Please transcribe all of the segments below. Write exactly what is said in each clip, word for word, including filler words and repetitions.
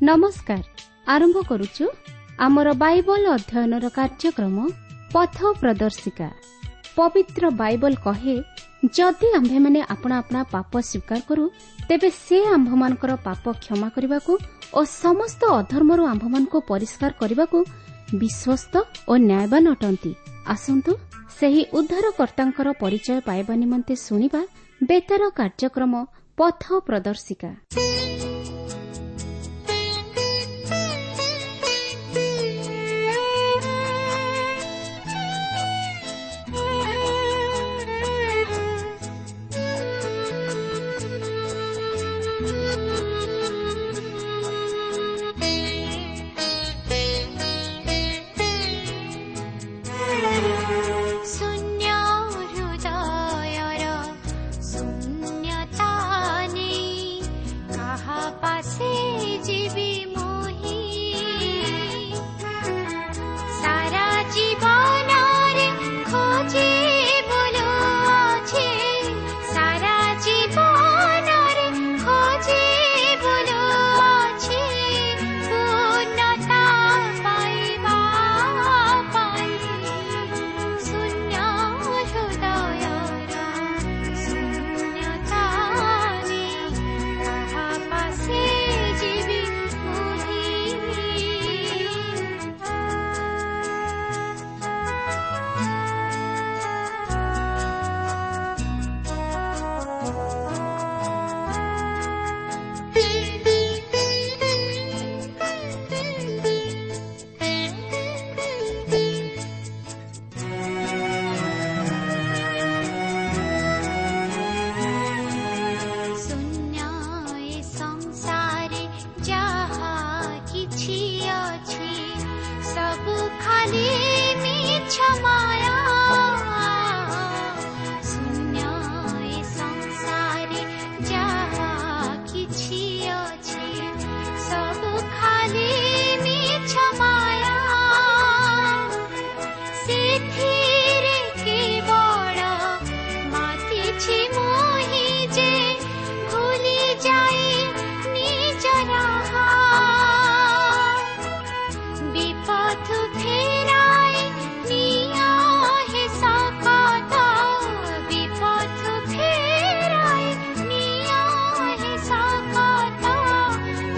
ନମସ୍କାର। ଆରମ୍ଭ କରୁଛୁ ଆମର ବାଇବଲ ଅଧ୍ୟୟନର କାର୍ଯ୍ୟକ୍ରମ ପଥ ପ୍ରଦର୍ଶିକା। ପବିତ୍ର ବାଇବଲ କହେ, ଯଦି ଆମ୍ଭେମାନେ ଆପଣା ଆପଣା ପାପ ସ୍ୱୀକାର କରୁ, ତେବେ ସେ ଆମ୍ଭମାନଙ୍କର ପାପ କ୍ଷମା କରିବାକୁ ଓ ସମସ୍ତ ଅଧର୍ମରୁ ଆମ୍ଭମାନଙ୍କୁ ପରିଷ୍କାର କରିବାକୁ ବିଶ୍ୱସ୍ତ ଓ ନ୍ୟାୟବାନ ଅଟନ୍ତି। ଆସନ୍ତୁ ସେହି ଉଦ୍ଧାରକର୍ତ୍ତାଙ୍କର ପରିଚୟ ପାଇବା ନିମନ୍ତେ ଶୁଣିବା ବେତାର କାର୍ଯ୍ୟକ୍ରମ ପଥ ପ୍ରଦର୍ଶିକା। ଶୂନ୍ୟ ହୃଦୟର ଶୂନ୍ୟତା ନେଇ କାହା ପାଶେ ଯିବି ମୁହିଁ? ସାରା ଜୀବନରେ ଖୋଜି ବୁଲୁଅଛି, ସାରା ଜୀବନରେ ଖୋଜି ବୁଲୁଅଛି ପୂର୍ଣ୍ଣତା ପାଇବା ପାଇଁ। ଶୂନ୍ୟ ହୃଦୟର ଶୂନ୍ୟତା ନେଇ କାହା ପାଶେ ଯିବି ମୁହିଁ? ଶୂନ୍ୟ ଏ ସଂସାରେ ଯାହା କିଛି ଅଛି, ସବୁ ଖାଲି ମିଛ ମାୟା। ଶୂନ୍ୟ ଏ ସଂସାରେ ଯାହା କିଛି ଅଛି, ସବୁ ଖାଲି ମିଛ ମାୟା। ସେଥିରେ କେବଳ ମାତିଛି ମୁହିଁ ଯେ ଭୁଲି ଯାଇ ନିଜ ରାହା। ବିପଥ ଫେରାଇ ନିଅ ହେ ସକତ, ବିପଥ ଫେରାଇ ନିଅ ହେ ସକତ,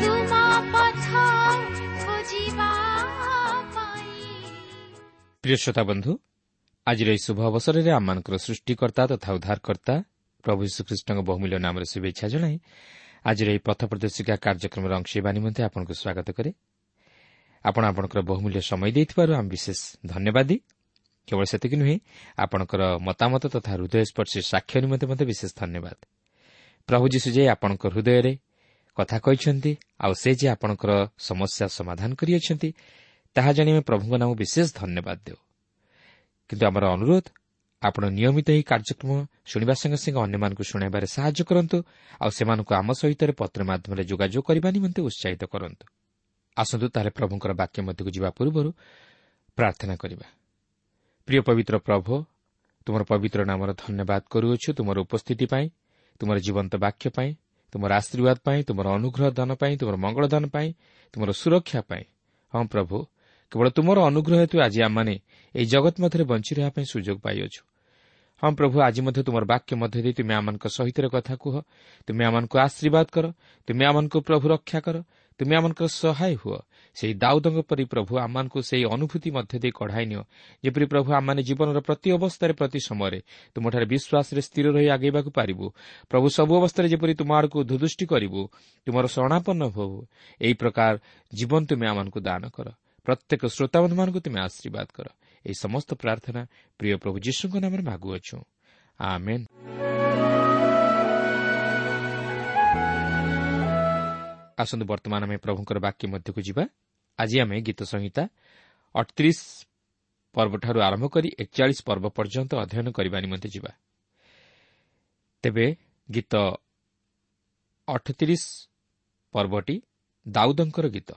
ତୁମ ପଥ ଖୋଜିବା ପାଇଁ। ପ୍ରିୟ ଶ୍ରୋତା ବନ୍ଧୁ, ଆଜିର ଏହି ଶୁଭ ଅବସରରେ ଆମମାନଙ୍କର ସୃଷ୍ଟିକର୍ତ୍ତା ତଥା ଉଦ୍ଧାରକର୍ତ୍ତା ପ୍ରଭୁ ଯୀଶୁଖ୍ରୀଷ୍ଟଙ୍କ ବହୁମୂଲ୍ୟ ନାମରେ ଶୁଭେଚ୍ଛା ଜଣାଇ ଆଜିର ଏହି ପଥ ପ୍ରଦର୍ଶିକା କାର୍ଯ୍ୟକ୍ରମର ଅଂଶ ହେବା ନିମନ୍ତେ ଆପଣଙ୍କୁ ସ୍ୱାଗତ କରେ। ଆପଣ ଆପଣଙ୍କର ବହୁମୂଲ୍ୟ ସମୟ ଦେଇଥିବାରୁ ଆମେ ବିଶେଷ ଧନ୍ୟବାଦୀ। କେବଳ ସେତିକି ନୁହେଁ, ଆପଣଙ୍କର ମତାମତ ତଥା ହୃଦୟସ୍ପର୍ଶୀ ସାକ୍ଷ୍ୟ ନିମନ୍ତେ ମଧ୍ୟ ବିଶେଷ ଧନ୍ୟବାଦ। ପ୍ରଭୁ ଯୀଶୁ ଯେ ଆପଣଙ୍କ ହୃଦୟରେ କଥା କହିଛନ୍ତି ଆଉ ସେ ଯେ ଆପଣଙ୍କର ସମସ୍ୟା ସମାଧାନ କରିଅଛନ୍ତି, ତାହା ଜାଣି ଆମେ ପ୍ରଭୁଙ୍କ ନାମ ବିଶେଷ ଧନ୍ୟବାଦ ଦେଉ। କିନ୍ତୁ ଆମର ଅନୁରୋଧ, ଆପଣ ନିୟମିତ ଏହି କାର୍ଯ୍ୟକ୍ରମ ଶୁଣିବା ସଙ୍ଗେ ସଙ୍ଗେ ଅନ୍ୟମାନଙ୍କୁ ଶୁଣାଇବାରେ ସାହାଯ୍ୟ କରନ୍ତୁ ଆଉ ସେମାନଙ୍କୁ ଆମ ସହିତ ପତ୍ର ମାଧ୍ୟମରେ ଯୋଗାଯୋଗ କରିବା ନିମନ୍ତେ ଉତ୍ସାହିତ କରନ୍ତୁ। ଆସନ୍ତୁ ତାହେଲେ ପ୍ରଭୁଙ୍କର ବାକ୍ୟ ମଧ୍ୟକୁ ଯିବା ପୂର୍ବରୁ ପ୍ରାର୍ଥନା କରିବା। ପ୍ରିୟ ପବିତ୍ର ପ୍ରଭୁ, ତୁମର ପବିତ୍ର ନାମର ଧନ୍ୟବାଦ କରୁଅଛୁ ତୁମର ଉପସ୍ଥିତି ପାଇଁ, ତୁମର ଜୀବନ୍ତ ବାକ୍ୟ ପାଇଁ, ତୁମର ଆଶୀର୍ବାଦ ପାଇଁ, ତୁମର ଅନୁଗ୍ରହ ଦାନ ପାଇଁ, ତୁମର ମଙ୍ଗଳ ଦାନ ପାଇଁ, ତୁମର ସୁରକ୍ଷା ପାଇଁ। ହଁ ପ୍ରଭୁ, କେବଳ ତୁମର ଅନୁଗ୍ରହ ହେତୁ ଆଜି ଆମମାନେ ଏହି ଜଗତ ମଧ୍ୟରେ ବଞ୍ଚି ରହିବା ପାଇଁ ସୁଯୋଗ ପାଇଅଛୁ। ହଁ ପ୍ରଭୁ, ଆଜି ମଧ୍ୟ ତୁମର ବାକ୍ୟ ମଧ୍ୟ ଦେଇ ତୁମେ ଆମମାନଙ୍କ ସହିତ କଥା କୁହ, ତୁମେ ଆମମାନଙ୍କୁ ଆଶୀର୍ବାଦ କର, ତୁମେ ଆମମାନଙ୍କୁ ପ୍ରଭୁ ରକ୍ଷା କର, ତୁମେ ଆମମାନଙ୍କର ସହାୟ ହୁଅ। ସେହି ଦାଉଦଙ୍କ ପରି ପ୍ରଭୁ ଆମମାନଙ୍କୁ ସେହି ଅନୁଭୂତି ମଧ୍ୟ ଦେଇ କଢ଼ାଇ ନିଅ, ଯେପରି ପ୍ରଭୁ ଆମମାନେ ଜୀବନର ପ୍ରତି ଅବସ୍ଥାରେ ପ୍ରତି ସମୟରେ ତୁମଠାରେ ବିଶ୍ୱାସରେ ସ୍ଥିର ରହି ଆଗେଇବାକୁ ପାରିବୁ। ପ୍ରଭୁ, ସବୁ ଅବସ୍ଥାରେ ଯେପରି ତୁମ ଆଡ଼କୁ ଧୁଦୃଷ୍ଟି କରିବୁ, ତୁମର ଶରଣାପନ୍ନ ହେବୁ, ଏହି ପ୍ରକାର ଜୀବନ ତୁମେ ଆମମାନଙ୍କୁ ଦାନ କର। ପ୍ରତ୍ୟେକ ଶ୍ରୋତାବନ୍ଧୁମାନଙ୍କୁ ତୁମେ ଆଶୀର୍ବାଦ କର। ଏହି ସମସ୍ତ ପ୍ରାର୍ଥନା ପ୍ରିୟ ପ୍ରଭୁ ଯୀଶୁଙ୍କ ନାମରେ ମାଗୁଅଛୁ, ଆମେନ୍। ଆସନ୍ତୁ ବର୍ତ୍ତମାନ ଆମେ ପ୍ରଭୁଙ୍କର ବାକ୍ୟ ମଧ୍ୟକୁ ଯିବା। ଆଜି ଆମେ ଗୀତ ସଂହିତା ଅଠତିରିଶ ପର୍ବଠାରୁ ଆରମ୍ଭ କରି ଏକଚାଳିଶ ପର୍ବ ପର୍ଯ୍ୟନ୍ତ ଅଧ୍ୟୟନ କରିବା ନିମନ୍ତେ ଯିବା। ତେବେ ଗୀତ ଅଠତିରିଶ ପର୍ବଟି ଦାଉଦଙ୍କର ଗୀତ,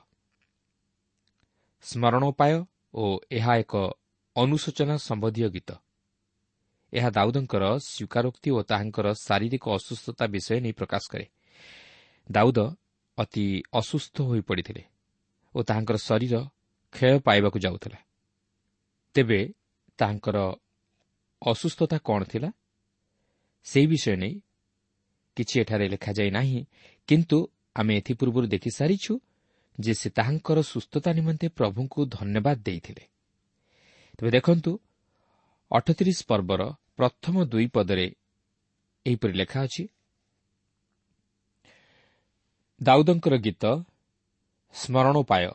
ସ୍ମରଣୋପାୟ ଓ ଏହା ଏକ ଅନୁଶୋଚନା ସମ୍ବନ୍ଧୀୟ ଗୀତ। ଏହା ଦାଉଦଙ୍କର ସ୍ୱୀକାରୋକ୍ତି ଓ ତାହାଙ୍କର ଶାରୀରିକ ଅସୁସ୍ଥତା ବିଷୟ ନେଇ ପ୍ରକାଶ କରେ। ଦାଉଦ ଅତି ଅସୁସ୍ଥ ହୋଇପଡ଼ିଥିଲେ ଓ ତାହାଙ୍କର ଶରୀର କ୍ଷୟ ପାଇବାକୁ ଯାଉଥିଲା। ତେବେ ତାହାଙ୍କର ଅସୁସ୍ଥତା କ'ଣ ଥିଲା ସେହି ବିଷୟ ନେଇ କିଛି ଏଠାରେ ଲେଖାଯାଇ ନାହିଁ, କିନ୍ତୁ ଆମେ ଏଥିପୂର୍ବରୁ ଦେଖିସାରିଛୁ ଯେ ସେ ତାହାଙ୍କର ସୁସ୍ଥତା ନିମନ୍ତେ ପ୍ରଭୁଙ୍କୁ ଧନ୍ୟବାଦ ଦେଇଥିଲେ। ତେବେ ଦେଖନ୍ତୁ, ଅଠତିରିଶ ପର୍ବର ପ୍ରଥମ ଦୁଇ ପଦରେ ଏହିପରି ଲେଖା ଅଛି, ଦାଉଦଙ୍କର ଗୀତ ସ୍ମରଣୋପାୟ।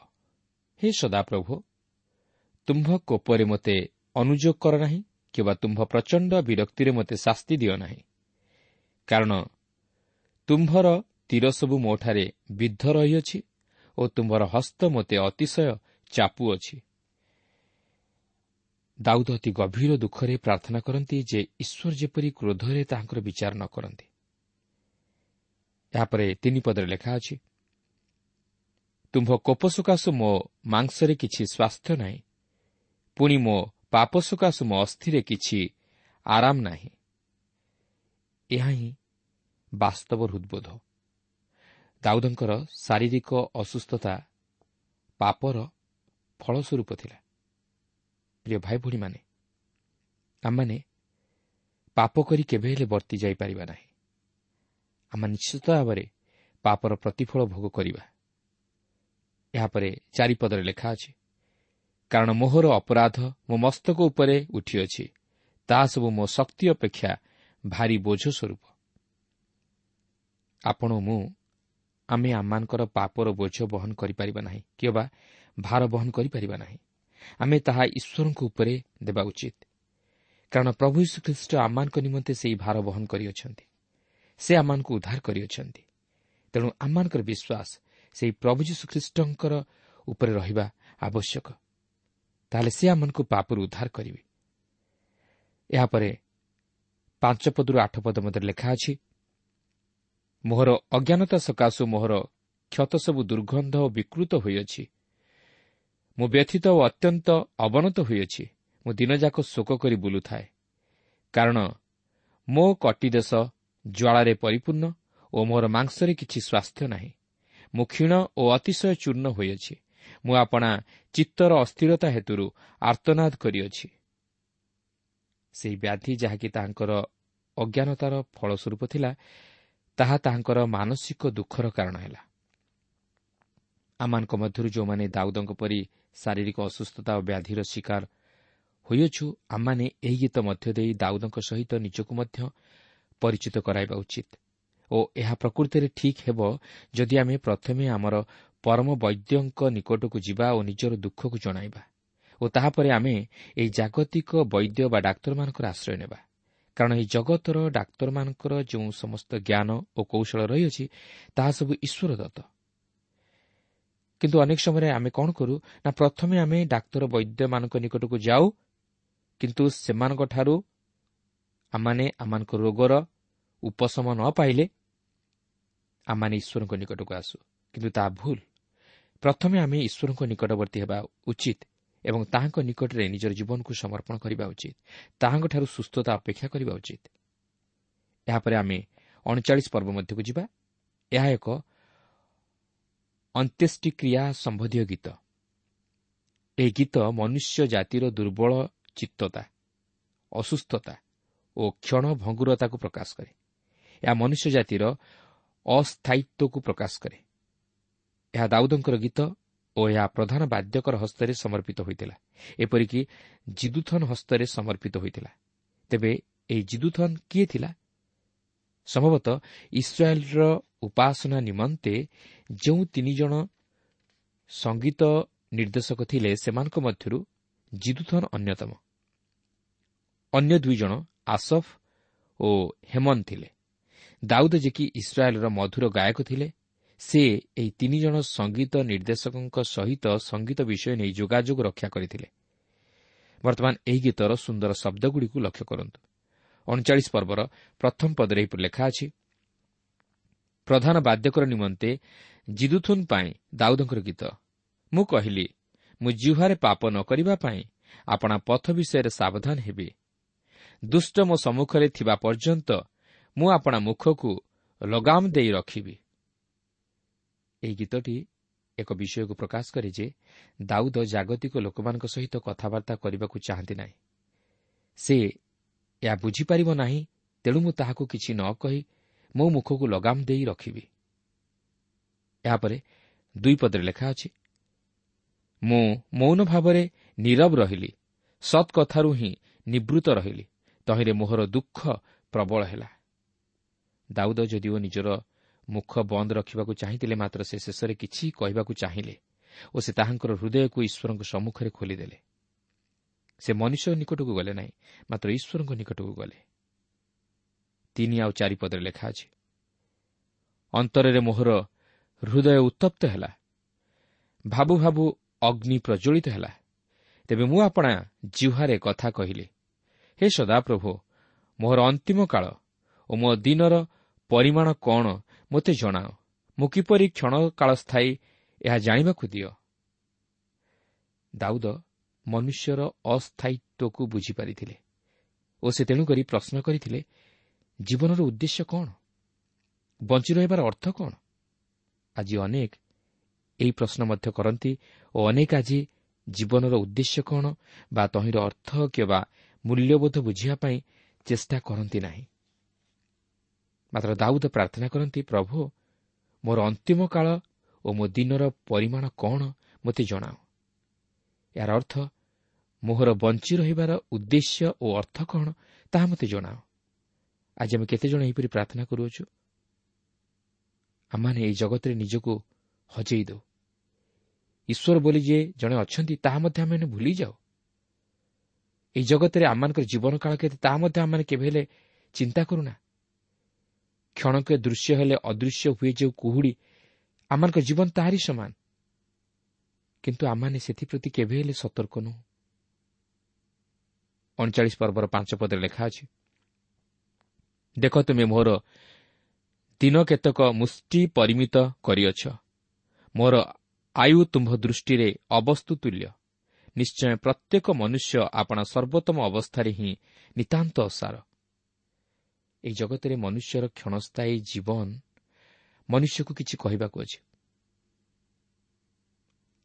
ହେ ସଦାପ୍ରଭୁ, ତୁମ୍ଭ କୋପରେ ମୋତେ ଅନୁଯୋଗ କର ନାହିଁ କିମ୍ବା ତୁମ୍ଭ ପ୍ରଚଣ୍ଡ ବିରକ୍ତିରେ ମୋତେ ଶାସ୍ତି ଦିଅ ନାହିଁ, କାରଣ ତୁମ୍ଭର ତୀର ସବୁ ମୋଠାରେ ବିଦ୍ଧ ରହିଅଛି ଓ ତୁମ୍ଭର ହସ୍ତ ମୋତେ ଅତିଶୟ ଚାପୁଅଛି। ଦାଉଦ ଅତି ଗଭୀର ଦୁଃଖରେ ପ୍ରାର୍ଥନା କରନ୍ତି ଯେ ଈଶ୍ୱର ଯେପରି କ୍ରୋଧରେ ତାହାଙ୍କର ବିଚାର ନ କରନ୍ତି। ଏହାପରେ ତିନି ପଦରେ ଲେଖା ଅଛି, ତୁମ୍ଭ କୋପ ସକାଶୁ ମୋ ମାଂସରେ କିଛି ସ୍ୱାସ୍ଥ୍ୟ ନାହିଁ, ପୁଣି ମୋ ପାପ ସକାଶୁ ମୋ ଅସ୍ଥିରେ କିଛି ଆରାମ ନାହିଁ। ଏହା ହିଁ ବାସ୍ତବ ହୃଦ୍ବୋଧ। ଦାଉଦଙ୍କର ଶାରୀରିକ ଅସୁସ୍ଥତା ପାପର ଫଳସ୍ୱରୂପ ଥିଲା। ପ୍ରିୟ ଭାଇ ଭଉଣୀମାନେ, ଆମମାନେ ପାପ କରି କେବେ ହେଲେ ବର୍ତ୍ତି ଯାଇପାରିବା ନାହିଁ। ଆମେ ନିଶ୍ଚିତ ଭାବରେ ପାପର ପ୍ରତିଫଳ ଭୋଗ କରିବା। ଏହାପରେ ଚାରିପଦରେ ଲେଖା ଅଛି, କାରଣ ମୋହର ଅପରାଧ ମୋ ମସ୍ତକ ଉପରେ ଉଠିଅଛି, ତାହା ସବୁ ମୋ ଶକ୍ତି ଅପେକ୍ଷା ଭାରି ବୋଝ ସ୍ୱରୂପ। ଆପଣ ମୁଁ ଆମେ ଆମମାନଙ୍କର ପାପର ବୋଝ ବହନ କରିପାରିବା ନାହିଁ କିମ୍ବା ଭାର ବହନ କରିପାରିବା ନାହିଁ। ଆମେ ତାହା ଈଶ୍ୱରଙ୍କ ଉପରେ ଦେବା ଉଚିତ, କାରଣ ପ୍ରଭୁ ଯୀଶୁଖ୍ରୀଷ୍ଟ ଆମମାନଙ୍କ ନିମନ୍ତେ ସେହି ଭାର ବହନ କରିଅଛନ୍ତି। ସେ ଆମମାନଙ୍କୁ ଉଦ୍ଧାର କରିଅଛନ୍ତି। ତେଣୁ ଆମମାନଙ୍କର ବିଶ୍ୱାସ ସେହି ପ୍ରଭୁ ଯୀଶୁଖ୍ରୀଷ୍ଟଙ୍କର ଉପରେ ରହିବା ଆବଶ୍ୟକ। ତାହେଲେ ସେ ଆମମାନଙ୍କୁ ପାପରୁ ଉଦ୍ଧାର କରିବେ। ଏହାପରେ ପାଞ୍ଚ ପଦରୁ ଆଠ ପଦ ମଧ୍ୟରେ ଲେଖା ଅଛି, ମୋହର ଅଜ୍ଞାନତା ସକାଶୁ ମୋହର କ୍ଷତ ସବୁ ଦୁର୍ଗନ୍ଧ ଓ ବିକୃତ ହୋଇଅଛି। ମୁଁ ବ୍ୟଥିତ ଓ ଅତ୍ୟନ୍ତ ଅବନତ ହୋଇଅଛି। ମୁଁ ଦିନଯାକ ଶୋକ କରି ବୁଲୁଥାଏ, କାରଣ ମୋ କଟିଦେଶ ଜ୍ୱାଳାରେ ପରିପୂର୍ଣ୍ଣ ଓ ମୋର ମାଂସରେ କିଛି ସ୍ୱାସ୍ଥ୍ୟ ନାହିଁ। ମୁଁ କ୍ଷୀଣ ଓ ଅତିଶୟ ଚୂର୍ଣ୍ଣ ହୋଇଅଛି। ମୁଁ ଆପଣା ଚିତ୍ତର ଅସ୍ଥିରତା ହେତୁରୁ ଆର୍ତ୍ତନାଦ କରିଅଛି। ସେହି ବ୍ୟାଧି ଯାହାକି ତାହାଙ୍କର ଅଜ୍ଞାନତାର ଫଳସ୍ୱରୂପ ଥିଲା, ତାହା ତାହାଙ୍କର ମାନସିକ ଦୁଃଖର କାରଣ ହେଲା। ଆମମାନଙ୍କ ମଧ୍ୟରୁ ଯେଉଁମାନେ ଦାଉଦଙ୍କ ପରି ଶାରୀରିକ ଅସୁସ୍ଥତା ଓ ବ୍ୟାଧିର ଶିକାର ହୋଇଅଛୁ, ଆମମାନେ ଏହି ଗୀତ ମଧ୍ୟ ଦେଇ ଦାଉଦଙ୍କ ସହିତ ନିଜକୁ ମଧ୍ୟ ପରିଚିତ କରାଇବା ଉଚିତ ଓ ଏହା ପ୍ରକୃତିରେ ଠିକ୍ ହେବ ଯଦି ଆମେ ପ୍ରଥମେ ଆମର ପରମ ବୈଦ୍ୟଙ୍କ ନିକଟକୁ ଯିବା ଓ ନିଜର ଦୁଃଖକୁ ଜଣାଇବା ଓ ତାହାପରେ ଆମେ ଏହି ଜାଗତିକ ବୈଦ୍ୟ ବା ଡାକ୍ତରମାନଙ୍କର ଆଶ୍ରୟ ନେବା। କାରଣ ଏହି ଜଗତର ଡାକ୍ତରମାନଙ୍କର ଯେଉଁ ସମସ୍ତ ଜ୍ଞାନ ଓ କୌଶଳ ରହିଅଛି, ତାହା ସବୁ ଈଶ୍ୱର ଦତ୍ତ। କିନ୍ତୁ ଅନେକ ସମୟରେ ଆମେ କ'ଣ କରୁ ନା, ପ୍ରଥମେ ଆମେ ଡାକ୍ତର ବୈଦ୍ୟମାନଙ୍କ ନିକଟକୁ ଯାଉ, କିନ୍ତୁ ସେମାନଙ୍କଠାରୁ ଆମମାନେ ଆମମାନଙ୍କ ରୋଗର ଉପଶମ ନ ପାଇଲେ ଆମମାନେ ଈଶ୍ୱରଙ୍କ ନିକଟକୁ ଆସୁ। କିନ୍ତୁ ତାହା ଭୁଲ। ପ୍ରଥମେ ଆମେ ଈଶ୍ୱରଙ୍କ ନିକଟବର୍ତ୍ତୀ ହେବା ଉଚିତ ଏବଂ ତାହାଙ୍କ ନିକଟରେ ନିଜର ଜୀବନକୁ ସମର୍ପଣ କରିବା ଉଚିତ। ତାହାଙ୍କଠାରୁ ସୁସ୍ଥତା ଅପେକ୍ଷା କରିବା ଉଚିତ। ଏହାପରେ ଆମେ ଅଣଚାଳିଶ ପର୍ବ ମଧ୍ୟକୁ ଯିବା। ଏହା ଏକ ଅନ୍ତ୍ୟେଷ୍ଟିକ୍ରିୟା ସମ୍ବନ୍ଧୀୟ ଗୀତ। ଏହି ଗୀତ ମନୁଷ୍ୟ ଜାତିର ଦୁର୍ବଳ ଚିତ୍ତତା, ଅସୁସ୍ଥତା ଓ କ୍ଷଣଭଙ୍ଗୁରତାକୁ ପ୍ରକାଶ କରେ। ଏହା ମନୁଷ୍ୟ ଜାତିର ଅସ୍ଥାୟିତ୍ୱକୁ ପ୍ରକାଶ କରେ। ଏହା ଦାଉଦଙ୍କର ଗୀତ ଓ ଏହା ପ୍ରଧାନ ବାଦ୍ୟକର ହସ୍ତରେ ସମର୍ପିତ ହୋଇଥିଲା, ଏପରିକି ଜିଦୁଥନ ହସ୍ତରେ ସମର୍ପିତ ହୋଇଥିଲା। ତେବେ ଏହି ଜିଦୁଥନ କିଏ ଥିଲା? ସମ୍ଭବତଃ ଇସ୍ରାଏଲର ଉପାସନା ନିମନ୍ତେ ଯେଉଁ ତିନି ଜଣ ସଙ୍ଗୀତ ନିର୍ଦ୍ଦେଶକ ଥିଲେ, ସେମାନଙ୍କ ମଧ୍ୟରୁ ଜିଦୁଥନ ଅନ୍ୟତମ। ଅନ୍ୟ ଦୁଇ ଜଣ ଆସଫ ଓ ହେମନ ଥିଲେ। ଦାଉଦ ଯେ କି ଇସ୍ରାଏଲର ମଧୁର ଗାୟକ ଥିଲେ, ସେ ଏହି ତିନି ଜଣ ସଙ୍ଗୀତ ନିର୍ଦ୍ଦେଶକଙ୍କ ସହିତ ସଙ୍ଗୀତ ବିଷୟ ନେଇ ଯୋଗାଯୋଗ ରକ୍ଷା କରିଥିଲେ। ବର୍ତ୍ତମାନ ଏହି ଗୀତର ସୁନ୍ଦର ଶବ୍ଦଗୁଡ଼ିକୁ ଲକ୍ଷ୍ୟ କରନ୍ତୁ। ଅଣଚାଳିଶ ପର୍ବର ପ୍ରଥମ ପଦରେ ଏହିପରି ଲେଖା ଅଛି, ପ୍ରଧାନ ବାଦ୍ୟକର ନିମନ୍ତେ ଜିଦୁଥୁନ ପାଇଁ ଦାଉଦଙ୍କର ଗୀତ। ମୁଁ କହିଲି, ମୁଁ ଜିହ୍ୱାରେ ପାପ ନ କରିବା ପାଇଁ ଆପଣା ପଥ ବିଷୟରେ ସାବଧାନ ହେବି। ଦୁଷ୍ଟ ମୋ ସମ୍ମୁଖରେ ଥିବା ପର୍ଯ୍ୟନ୍ତ ମୁଁ ଆପଣା ମୁଖକୁ ଲଗାମ ଦେଇ ରଖିବି। ଏହି ଗୀତଟି ଏକ ବିଷୟକୁ ପ୍ରକାଶ କରେ ଯେ ଦାଉଦ ଜାଗତିକ ଲୋକମାନଙ୍କ ସହିତ କଥାବାର୍ତ୍ତା କରିବାକୁ ଚାହାନ୍ତି ନାହିଁ। ସେ ଏହା ବୁଝିପାରିବ ନାହିଁ, ତେଣୁ ମୁଁ ତାହାକୁ କିଛି ନ କହି ମୋ ମୁଖକୁ ଲଗାମ ଦେଇ ରଖିବି। ଏହାପରେ ଦୁଇ ପଦରେ ଲେଖା ଅଛି, ମୁଁ ମୌନ ଭାବରେ ନୀରବ ରହିଲି, ସତ୍ କଥାରୁ ହିଁ ନିବୃତ୍ତ ରହିଲି, ତହିଁରେ ମୋହର ଦୁଃଖ ପ୍ରବଳ ହେଲା। ଦାଉଦ ଯଦିଓ ନିଜର ମୁଖ ବନ୍ଦ ରଖିବାକୁ ଚାହିଁଥିଲେ, ମାତ୍ର ସେ ଶେଷରେ କିଛି କହିବାକୁ ଚାହିଁଲେ ଓ ସେ ତାହାଙ୍କର ହୃଦୟକୁ ଈଶ୍ୱରଙ୍କ ସମ୍ମୁଖରେ ଖୋଲିଦେଲେ। ସେ ମନୁଷ୍ୟ ନିକଟକୁ ଗଲେ ନାହିଁ, ମାତ୍ର ଈଶ୍ୱରଙ୍କ ନିକଟକୁ ଗଲେ। ତିନି ଆଉ ଚାରି ପଦରେ ଲେଖା ଅଛି, ଅନ୍ତରରେ ମୋହର ହୃଦୟ ଉତ୍ତପ୍ତ ହେଲା, ଭାବୁ ଭାବୁ ଅଗ୍ନି ପ୍ରଜ୍ୱଳିତ ହେଲା। ତେବେ ମୁଁ ଆପଣା ଜିହ୍ୱାରେ କଥା କହିଲି, ହେ ସଦାପ୍ରଭୁ, ମୋହର ଅନ୍ତିମ କାଳ ଓ ମୋ ଦିନର ପରିମାଣ କ'ଣ ମୋତେ ଜଣାଅ। ମୁଁ କିପରି କ୍ଷଣକାଳସ୍ଥାୟୀ ଏହା ଜାଣିବାକୁ ଦିଅ। ଦାଉଦ ମନୁଷ୍ୟର ଅସ୍ଥାୟିତ୍ୱକୁ ବୁଝିପାରିଥିଲେ ଓ ସେ ତେଣୁକରି ପ୍ରଶ୍ନ କରିଥିଲେ, ଜୀବନର ଉଦ୍ଦେଶ୍ୟ କ'ଣ? ବଞ୍ଚି ରହିବାର ଅର୍ଥ କ'ଣ? ଆଜି ଅନେକ ଏହି ପ୍ରଶ୍ନ ମଧ୍ୟ କରନ୍ତି ଓ ଅନେକ ଆଜି ଜୀବନର ଉଦ୍ଦେଶ୍ୟ କ'ଣ ବା ତହିଁର ଅର୍ଥ କିମ୍ବା ମୂଲ୍ୟବୋଧ ବୁଝିବା ପାଇଁ ଚେଷ୍ଟା କରନ୍ତି ନାହିଁ। ମାତ୍ର ଦାଉଦ ପ୍ରାର୍ଥନା କରନ୍ତି, ପ୍ରଭୁ, ମୋର ଅନ୍ତିମ କାଳ ଓ ମୋ ଦିନର ପରିମାଣ କ'ଣ ମୋତେ ଜଣାଅ। ଏହାର ଅର୍ଥ ମୋହର ବଞ୍ଚି ରହିବାର ଉଦ୍ଦେଶ୍ୟ ଓ ଅର୍ଥ କ'ଣ ତାହା ମୋତେ ଜଣାଅ। ଆଜି ଆମେ କେତେଜଣ ଏହିପରି ପ୍ରାର୍ଥନା କରୁଅଛୁ? ଆମମାନେ ଏହି ଜଗତରେ ନିଜକୁ ହଜେଇ ଦେଉ। ଈଶ୍ୱର ବୋଲି ଯେ ଜଣେ ଅଛନ୍ତି ତାହା ମଧ୍ୟ ଆମେମାନେ ଭୁଲିଯାଉ। ଏହି ଜଗତରେ ଆମମାନଙ୍କର ଜୀବନ କାଳ କେତେ ତାହା ମଧ୍ୟ ଆମମାନେ କେବେ ହେଲେ ଚିନ୍ତା କରୁନା। କ୍ଷଣକେ ଦୃଶ୍ୟ ହେଲେ ଅଦୃଶ୍ୟ ହୁଏ ଯେଉଁ କୁହୁଡ଼ି, ଆମମାନଙ୍କ ଜୀବନ ତାହାରି ସମାନ। କିନ୍ତୁ ଆମମାନେ ସେଥିପ୍ରତି କେବେ ହେଲେ ସତର୍କ ନୁହଁ। ଅଣଚାଳିଶ ପର୍ବର ପାଞ୍ଚ ପଦରେ ଲେଖା ଅଛି, ଦେଖ ତୁମେ ମୋର ଦିନ କେତେକ ମୁଷ୍ଟି ପରିମିତ କରିଅଛ, ମୋର ଆୟୁ ତୁମ୍ଭ ଦୃଷ୍ଟିରେ ଅବସ୍ତୁ ତୁଲ୍ୟ। ନିଶ୍ଚୟ ପ୍ରତ୍ୟେକ ମନୁଷ୍ୟ ଆପଣା ସର୍ବୋତ୍ତମ ଅବସ୍ଥାରେ ହିଁ ନିତାନ୍ତ ଅସାର। ଏହି ଜଗତରେ ମନୁଷ୍ୟର କ୍ଷଣସ୍ଥାୟୀ ଜୀବନ ମନୁଷ୍ୟକୁ କିଛି କହିବାକୁ ଅଛି।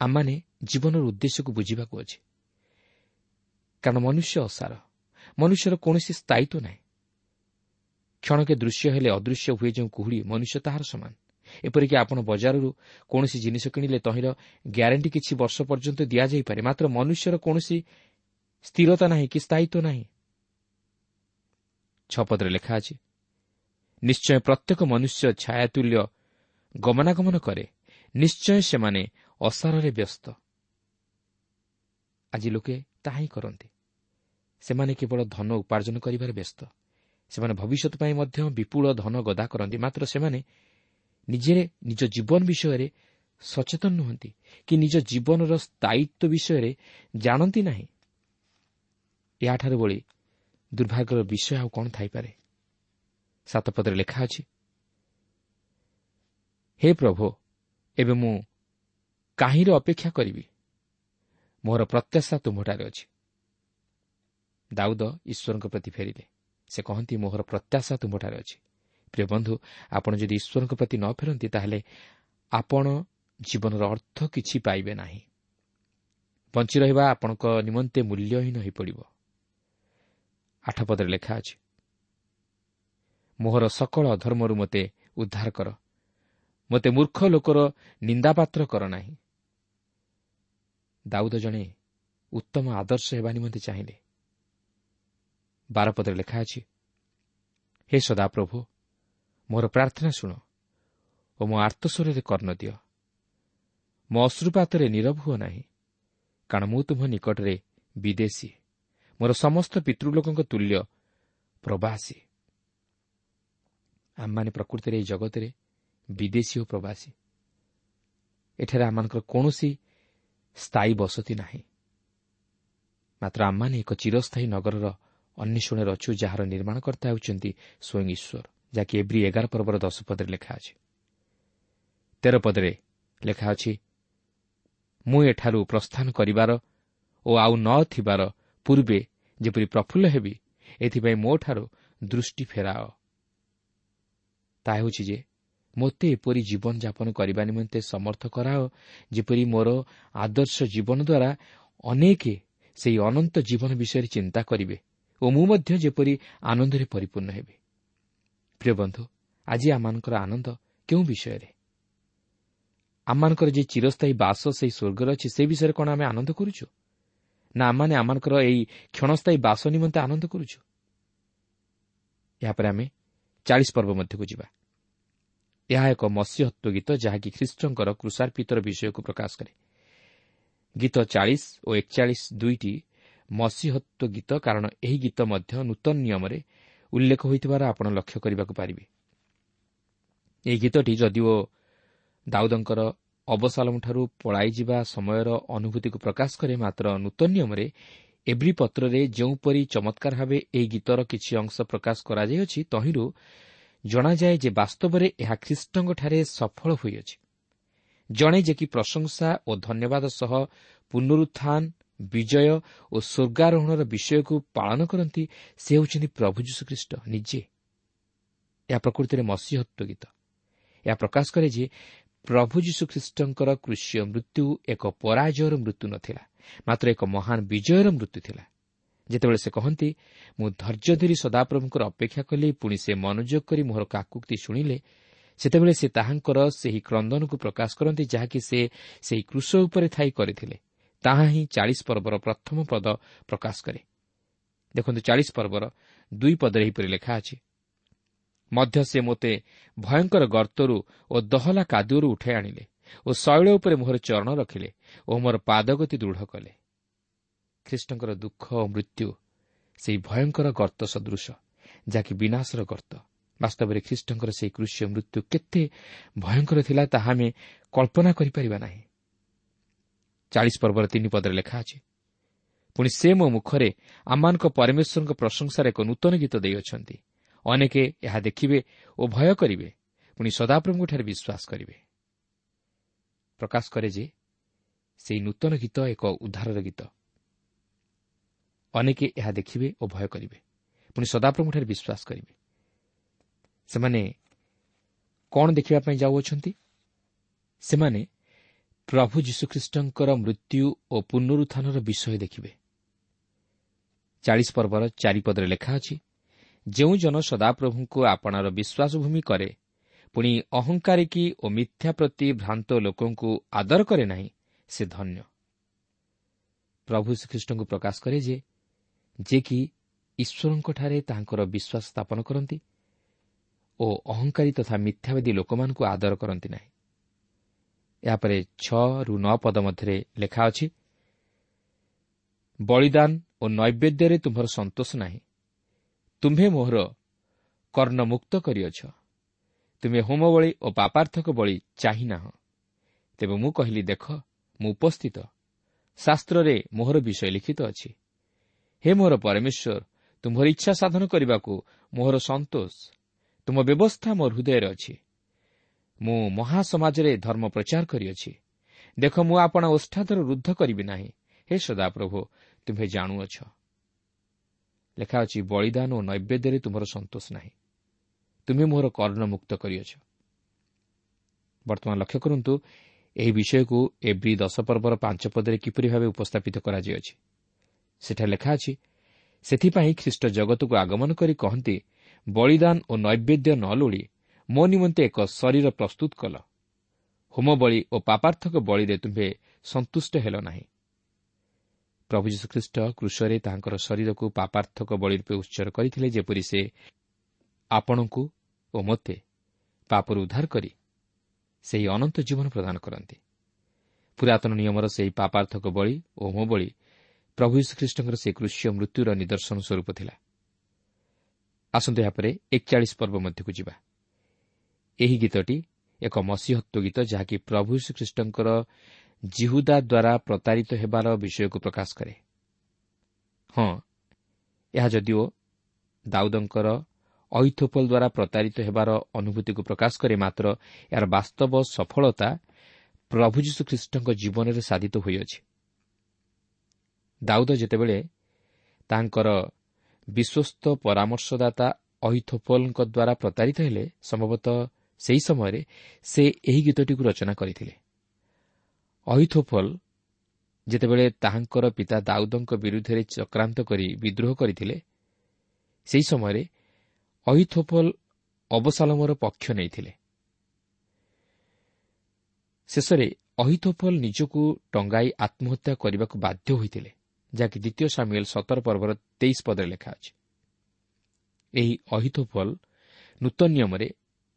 ଆମମାନେ ଜୀବନର ଉଦ୍ଦେଶ୍ୟକୁ ବୁଝିବାକୁ ଅଛି, କାରଣ ମନୁଷ୍ୟ ଅସାର। ମନୁଷ୍ୟର କୌଣସି ସ୍ଥାୟିତ୍ୱ ନାହିଁ। କ୍ଷଣକେ ଦୃଶ୍ୟ ହେଲେ ଅଦୃଶ୍ୟ ହୁଏ ଯେଉଁ କୁହୁଡ଼ି, ମନୁଷ୍ୟ ତାହାର ସମାନ। ଏପରିକି ଆପଣ ବଜାରରୁ କୌଣସି ଜିନିଷ କିଣିଲେ ତହିଁର ଗ୍ୟାରେଣ୍ଟି କିଛି ବର୍ଷ ପର୍ଯ୍ୟନ୍ତ ଦିଆଯାଇପାରେ, ମାତ୍ର ମନୁଷ୍ୟର କୌଣସି ସ୍ଥିରତା ନାହିଁ କି ସ୍ଥାୟିତ୍ୱ ନାହିଁ। ଛଅ ପଦରେ ଲେଖା ଅଛି, ନିଶ୍ଚୟ ପ୍ରତ୍ୟେକ ମନୁଷ୍ୟ ଛାୟାତୁଲ୍ୟ ଗମନାଗମନ କରେ, ନିଶ୍ଚୟ ସେମାନେ ଅସାରରେ ବ୍ୟସ୍ତ। ଆଜି ଲୋକେ ତାହା ହିଁ କରନ୍ତି। ସେମାନେ କେବଳ ଧନ ଉପାର୍ଜନ କରିବାରେ ବ୍ୟସ୍ତ। ସେମାନେ ଭବିଷ୍ୟତ ପାଇଁ ମଧ୍ୟ ବିପୁଳ ଧନ ଗଦା କରନ୍ତି, ମାତ୍ର ସେମାନେ ନିଜେ ନିଜ ଜୀବନ ବିଷୟରେ ସଚେତନ ନୁହନ୍ତି କି ନିଜ ଜୀବନର ସ୍ଥାୟିତ୍ୱ ବିଷୟରେ ଜାଣନ୍ତି ନାହିଁ। ଏହାଠାରୁ ଭଳି ଦୁର୍ଭାଗ୍ୟର ବିଷୟ ଆଉ କ'ଣ ଥାଇପାରେ? ସାତ ପଦରେ ଲେଖା ଅଛି, ହେ ପ୍ରଭୁ, ଏବେ ମୁଁ କାହିଁରେ ଅପେକ୍ଷା କରିବି? ମୋର ପ୍ରତ୍ୟାଶା ତୁମ୍ଭଠାରେ ଅଛି। ଦାଉଦ ଈଶ୍ୱରଙ୍କ ପ୍ରତି ଫେରିଲେ। ସେ କହନ୍ତି, ମୋହର ପ୍ରତ୍ୟାଶା ତୁମ୍ଭଠାରେ ଅଛି। ପ୍ରିୟ ବନ୍ଧୁ, ଆପଣ ଯଦି ଈଶ୍ୱରଙ୍କ ପ୍ରତି ନ ଫେରନ୍ତି ତାହେଲେ ଆପଣ ଜୀବନର ଅର୍ଥ କିଛି ପାଇବେ ନାହିଁ। ବଞ୍ଚି ରହିବା ଆପଣଙ୍କ ନିମନ୍ତେ ମୂଲ୍ୟହୀନ ହୋଇପଡ଼ିବ। ଆଠ ପଦରେ ଲେଖା ଅଛି, ମୋହର ସକଳ ଅଧର୍ମରୁ ମୋତେ ଉଦ୍ଧାର କର, ମୋତେ ମୂର୍ଖ ଲୋକର ନିନ୍ଦାପାତ୍ର କର ନାହିଁ। ଦାଉଦ ଜଣେ ଉତ୍ତମ ଆଦର୍ଶ ହେବା ନିମନ୍ତେ ଚାହିଁଲେ। ବାର ପଦରେ ଲେଖା ଅଛି, ହେ ସଦାପ୍ରଭୁ, ମୋର ପ୍ରାର୍ଥନା ଶୁଣ ଓ ମୋ ଆର୍ତ୍ତସ୍ୱରରେ କର୍ଣ୍ଣ ଦିଅ। ମୋ ଅଶ୍ରୁପାତରେ ନୀରବ ହୁଅ ନାହିଁ, କାରଣ ମୁଁ ତୁମ୍ଭ ନିକଟରେ ବିଦେଶୀ, ମୋର ସମସ୍ତ ପିତୃଲୋକଙ୍କ ତୁଲ୍ୟ ପ୍ରବାସୀ। ଆମମାନେ ପ୍ରକୃତିରେ ଏହି ଜଗତରେ ବିଦେଶୀ ଓ ପ୍ରବାସୀ। ଏଠାରେ ଆମମାନଙ୍କର କୌଣସି ସ୍ଥାୟୀ ବସତି ନାହିଁ, ମାତ୍ର ଆମମାନେ ଏକ ଚିରସ୍ଥାୟୀ ନଗରର ଅନ୍ୱେଷଣରେ ଅଛୁ, ଯାହାର ନିର୍ମାଣକର୍ତ୍ତା ହେଉଛନ୍ତି ସ୍ୱୟଂ ଈଶ୍ୱର, ଯାହାକି ଏବ୍ରୀ ଏଗାର ପର୍ବର ଦଶ ପଦରେ ଲେଖା ଅଛି। ତେର ପଦରେ ଲେଖା ଅଛି, ମୁଁ ଏଠାରୁ ପ୍ରସ୍ଥାନ କରିବାର ଓ ଆଉ ନ ଥିବାର ପୂର୍ବେ ଯେପରି ପ୍ରଫୁଲ୍ଲ ହେବି, ଏଥିପାଇଁ ମୋଠାରୁ ଦୃଷ୍ଟି ଫେରାଅ। ତାହା ହେଉଛି ଯେ ମୋତେ ଏପରି ଜୀବନଯାପନ କରିବା ନିମନ୍ତେ ସମର୍ଥ କରାଅ, ଯେପରି ମୋର ଆଦର୍ଶ ଜୀବନ ଦ୍ୱାରା ଅନେକ ସେହି ଅନନ୍ତ ଜୀବନ ବିଷୟରେ ଚିନ୍ତା କରିବେ ଓ ମୁଁ ମଧ୍ୟ ଯେପରି ଆନନ୍ଦରେ ପରିପୂର୍ଣ୍ଣ ହେବି। ପ୍ରିୟ ବନ୍ଧୁ, ଆଜି ଆମମାନଙ୍କର ଆନନ୍ଦ କେଉଁ ବିଷୟରେ? ଆମମାନଙ୍କର ଯେ ଚିରସ୍ଥାୟୀ ବାସ ସେହି ସ୍ୱର୍ଗରେ ଅଛି, ସେ ବିଷୟରେ କ'ଣ ଆମେ ଆନନ୍ଦ କରୁଛୁ, ନା ଆମମାନେ ଆମମାନଙ୍କର ଏହି କ୍ଷଣସ୍ଥାୟୀ ବାସ ନିମନ୍ତେ ଆନନ୍ଦ କରୁଛୁ? ଏହାପରେ ଆମେ ଚାଳିଶ ପର୍ବ ମଧ୍ୟକୁ ଯିବା। ଏହା ଏକ ମସିହତ୍ୱ ଗୀତ, ଯାହାକି ଖ୍ରୀଷ୍ଟଙ୍କର କୃଷାର୍ପିତର ବିଷୟକୁ ପ୍ରକାଶ କରେ। ଗୀତ ଚାଳିଶ ଓ ଏକଚାଳିଶ ଦୁଇଟି ମସିହତ୍ୱ ଗୀତ, କାରଣ ଏହି ଗୀତ ମଧ୍ୟ ନୂତନ ନିୟମରେ ଉଲ୍ଲେଖ ହୋଇଥିବାର ଆପଣ ଲକ୍ଷ୍ୟ କରିବାକୁ ପାରିବେ। ଏହି ଗୀତଟି ଯଦିଓ ଦାଉଦଙ୍କର ଅବସାଲମଠାରୁ ପଳାଇଯିବା ସମୟର ଅନୁଭୂତିକୁ ପ୍ରକାଶ କରେ, ମାତ୍ର ନୂତନ ନିୟମରେ ଏବ୍ରୀ ପତ୍ରରେ ଯେଉଁପରି ଚମତ୍କାର ଭାବେ ଏହି ଗୀତର କିଛି ଅଂଶ ପ୍ରକାଶ କରାଯାଇଅଛି, ତହିଁରୁ ଜଣାଯାଏ ଯେ ବାସ୍ତବରେ ଏହା ଖ୍ରୀଷ୍ଟଙ୍କଠାରେ ସଫଳ ହୋଇଅଛି। ଜଣେ ଯେ କି ପ୍ରଶଂସା ଓ ଧନ୍ୟବାଦ ସହ ପୁନରୁତ୍ଥାନ, ବିଜୟ ଓ ସ୍ୱର୍ଗାରୋହଣର ବିଷୟକୁ ପାଳନ କରନ୍ତି, ସେ ହେଉଛନ୍ତି ପ୍ରଭୁ ଯୀଶୁଖ୍ରୀଷ୍ଟ ନିଜେ। ଏହା ପ୍ରକୃତିରେ ମସିହତ୍ୱ ଗୀତ। ଏହା ପ୍ରକାଶ କରେ ଯେ ପ୍ରଭୁ ଯୀଶୁଖ୍ରୀଷ୍ଟଙ୍କର କୃଷୀୟ ମୃତ୍ୟୁ ଏକ ପରାଜୟର ମୃତ୍ୟୁ ନଥିଲା, ମାତ୍ର ଏକ ମହାନ ବିଜୟର ମୃତ୍ୟୁ ଥିଲା। ଯେତେବେଳେ ସେ କହନ୍ତି, ମୁଁ ଧୈର୍ଯ୍ୟ ଧରି ସଦାପ୍ରଭୁଙ୍କର ଅପେକ୍ଷା କଲି, ପୁଣି ସେ ମନୋଯୋଗ କରି ମୋହର କାକୁକ୍ତି ଶୁଣିଲେ, ସେତେବେଳେ ସେ ତାହାଙ୍କର ସେହି କ୍ରନ୍ଦନକୁ ପ୍ରକାଶ କରନ୍ତି ଯାହାକି ସେ ସେହି କୃଷ ଉପରେ ଥାଇ କରିଥିଲେ। ତାହା ହିଁ ଚାଳିଶ ପର୍ବର ପ୍ରଥମ ପଦ ପ୍ରକାଶ କରେ। ଦେଖନ୍ତୁ, ଚାଳିଶ ପର୍ବର ଦୁଇ ପଦରେ ଏହିପରି ଲେଖା ଅଛି, ମଧ୍ୟ ସେ ମୋତେ ଭୟଙ୍କର ଗର୍ତ୍ତରୁ ଓ ଦହଲା କାଦୁଅରୁ ଉଠାଇ ଆଣିଲେ ଓ ଶୈଳ ଉପରେ ମୋହର ଚରଣ ରଖିଲେ ଓ ମୋର ପାଦଗତି ଦୃଢ଼ କଲେ। ଖ୍ରୀଷ୍ଟଙ୍କର ଦୁଃଖ ଓ ମୃତ୍ୟୁ ସେହି ଭୟଙ୍କର ଗର୍ତ୍ତ ସଦୃଶ, ଯାହାକି ବିନାଶର ଗର୍ତ୍ତ। ବାସ୍ତବରେ ଖ୍ରୀଷ୍ଟଙ୍କର ସେହି କୃଷୀୟ ମୃତ୍ୟୁ କେତେ ଭୟଙ୍କର ଥିଲା, ତାହା ଆମେ କଳ୍ପନା କରିପାରିବା ନାହିଁ। ଚାଳିଶ ପର୍ବର ତିନି ପଦରେ ଲେଖା ଅଛି, ପୁଣି ସେ ମୋ ମୁଖରେ ଆମମାନଙ୍କ ପରମେଶ୍ୱରଙ୍କ ପ୍ରଶଂସାରେ ଏକ ନୂତନ ଗୀତ ଦେଇଅଛନ୍ତି। ଅନେକେ ଏହା ଦେଖିବେ ଓ ଭୟ କରିବେ, ପୁଣି ସଦାପ୍ରଭୁଙ୍କଠାରେ ବିଶ୍ୱାସ କରିବେ। ପ୍ରକାଶ କରେ ଯେ ସେହି ନୂତନ ଗୀତ ଏକ ଉଦ୍ଧାରର ଗୀତ। ଅନେକେ ଏହା ଦେଖିବେ ଓ ଭୟ କରିବେ, ପୁଣି ସଦାପ୍ରଭୁଙ୍କଠାରେ ବିଶ୍ୱାସ କରିବେ। ସେମାନେ କ'ଣ ଦେଖିବା ପାଇଁ ଯାଉଅଛନ୍ତି? ସେମାନେ ପ୍ରଭୁ ଯୀଶୁଖ୍ରୀଷ୍ଟଙ୍କର ମୃତ୍ୟୁ ଓ ପୁନରୁତ୍ଥାନର ବିଷୟ ଦେଖିବେ। ଚାଳିଶ ପର୍ବର ଚାରିପଦରେ ଲେଖା ଅଛି, ଯେଉଁ ଜନ ସଦାପ୍ରଭୁଙ୍କୁ ଆପଣାର ବିଶ୍ୱାସଭୂମି କରେ, ପୁଣି ଅହଙ୍କାରିକୀ ଓ ମିଥ୍ୟା ପ୍ରତି ଭ୍ରାନ୍ତ ଲୋକଙ୍କୁ ଆଦର କରେ ନାହିଁ, ସେ ଧନ୍ୟ। ପ୍ରଭୁ ଶ୍ରୀଖ୍ରୀଷ୍ଟଙ୍କୁ ପ୍ରକାଶ କରେ ଯେ ଯେ କି ଈଶ୍ୱରଙ୍କଠାରେ ତାହାଙ୍କର ବିଶ୍ୱାସ ସ୍ଥାପନ କରନ୍ତି ଓ ଅହଙ୍କାରୀ ତଥା ମିଥ୍ୟାବାଦୀ ଲୋକମାନଙ୍କୁ ଆଦର କରନ୍ତି ନାହିଁ। ଏହାପରେ ଛଅରୁ ନଅ ପଦ ମଧ୍ୟରେ ଲେଖା ଅଛି, ବଳିଦାନ ଓ ନୈବେଦ୍ୟରେ ତୁମ୍ଭର ସନ୍ତୋଷ ନାହିଁ, ତୁମ୍ଭେ ମୋହର କର୍ଣ୍ଣମୁକ୍ତ କରିଅଛ, ତୁମେ ହୋମବଳି ଓ ପାପାର୍ଥକ ବଳି ଚାହିଁନାହଁ। ତେବେ ମୁଁ କହିଲି, ଦେଖ, ମୁଁ ଉପସ୍ଥିତ, ଶାସ୍ତ୍ରରେ ମୋହର ବିଷୟ ଲିଖିତ ଅଛି। ହେ ମୋହର ପରମେଶ୍ୱର, ତୁମ୍ଭର ଇଚ୍ଛା ସାଧନ କରିବାକୁ ମୋହର ସନ୍ତୋଷ, ତୁମ ବ୍ୟବସ୍ଥା ମୋ ହୃଦୟରେ ଅଛି। ମୁଁ ମହାସମାଜରେ ଧର୍ମ ପ୍ରଚାର କରିଅଛି। ଦେଖ, ମୁଁ ଆପଣା ଓଷ୍ଠାଧର ରୁଦ୍ଧ କରିବି ନାହିଁ। ହେ ସଦାପ୍ରଭୁ, ତୁମ୍ଭେ ଜାଣୁଅଛ। ଲେଖା ଅଛି, ବଳିଦାନ ଓ ନୈବେଦ୍ୟରେ ତୁମର ସନ୍ତୋଷ ନାହିଁ, ତୁମେ ମୋହର କର୍ଣ୍ଣମୁକ୍ତ କରିଅଛ। ବର୍ତ୍ତମାନ ଲକ୍ଷ୍ୟ କରନ୍ତୁ, ଏହି ବିଷୟକୁ ଏବ୍ରୀ ଦଶ ପର୍ବର ପାଞ୍ଚ ପଦରେ କିପରି ଭାବେ ଉପସ୍ଥାପିତ କରାଯାଇଅଛି। ସେଠାରେ ଲେଖା ଅଛି, ସେଥିପାଇଁ ଖ୍ରୀଷ୍ଟ ଜଗତକୁ ଆଗମନ କରି କହନ୍ତି, ବଳିଦାନ ଓ ନୈବେଦ୍ୟ ନ ଲୋଡ଼ି ମୋ ନିମନ୍ତେ ଏକ ଶରୀର ପ୍ରସ୍ତୁତ କଲ, ହୋମବଳି ଓ ପାପାର୍ଥକ ବଳିରେ ତୁମ୍ଭେ ସନ୍ତୁଷ୍ଟ ହେଲ ନାହିଁ। ପ୍ରଭୁ ଯୀଶୁଖ୍ରୀଷ୍ଟ କ୍ରୁଶରେ ତାହାଙ୍କର ଶରୀରକୁ ପାପାର୍ଥକ ବଳି ରୂପେ ଉତ୍ସର୍ଗ କରିଥିଲେ, ଯେପରି ସେ ଆପଣଙ୍କୁ ଓ ମୋତେ ପାପରୁ ଉଦ୍ଧାର କରି ସେହି ଅନନ୍ତ ଜୀବନ ପ୍ରଦାନ କରନ୍ତି। ପୁରାତନ ନିୟମର ସେହି ପାପାର୍ଥକ ବଳି ଓ ହୋମବଳି ପ୍ରଭୁ ଯୀଶୁଖ୍ରୀଷ୍ଟଙ୍କର ସେହି କ୍ରୁଶୀୟ ମୃତ୍ୟୁର ନିଦର୍ଶନ ସ୍ୱରୂପ ଥିଲା। ଆସନ୍ତୁ ଏହାପରେ ଏକଚାଳିଶ ପର୍ବ ମଧ୍ୟକୁ ଯିବା। ଏହି ଗୀତଟି ଏକ ମସିହତ୍ୱ ଗୀତ, ଯାହାକି ପ୍ରଭୁ ଯୀଶୁଖ୍ରୀଷ୍ଟଙ୍କର ଜିହୁଦା ଦ୍ୱାରା ପ୍ରତାରିତ ହେବାର ବିଷୟକୁ ପ୍ରକାଶ କରେ। ହଁ, ଏହା ଯଦିଓ ଦାଉଦଙ୍କର ଅହିଥୋଫଲ ଦ୍ୱାରା ପ୍ରତାରିତ ହେବାର ଅନୁଭୂତିକୁ ପ୍ରକାଶ କରେ, ମାତ୍ର ଏହାର ବାସ୍ତବ ସଫଳତା ପ୍ରଭୁ ଯୀଶୁଖ୍ରୀଷ୍ଟଙ୍କ ଜୀବନରେ ସାଧିତ ହୋଇଅଛି। ଦାଉଦ ଯେତେବେଳେ ତାଙ୍କର ବିଶ୍ୱସ୍ତ ପରାମର୍ଶଦାତା ଅହିଥୋଫଲଙ୍କ ଦ୍ୱାରା ପ୍ରତାରିତ ହେଲେ, ସମ୍ଭବତଃ ସେହି ସମୟରେ ସେ ଏହି ଗୀତଟିକୁ ରଚନା କରିଥିଲେ। ଅହିଥୋଫଲ ଯେତେବେଳେ ତାହାଙ୍କର ପିତା ଦାଉଦଙ୍କ ବିରୁଦ୍ଧରେ ଚକ୍ରାନ୍ତ କରି ବିଦ୍ରୋହ କରିଥିଲେ, ସେହି ସମୟରେ ଅହିଥୋଫଲ ଅବସାଲମର ପକ୍ଷ ନେଇଥିଲେ। ଶେଷରେ ଅହିଥୋଫଲ ନିଜକୁ ଟଙ୍ଗାଇ ଆତ୍ମହତ୍ୟା କରିବାକୁ ବାଧ୍ୟ ହୋଇଥିଲେ, ଯାହାକି ଦ୍ୱିତୀୟ ସାମୁଏଲ ସତର ପର୍ବର ତେଇଶ ପଦରେ ଲେଖା ଅଛି। ଏହି ଅହିଥୋଫଲ ନୂତନ ନିୟମରେ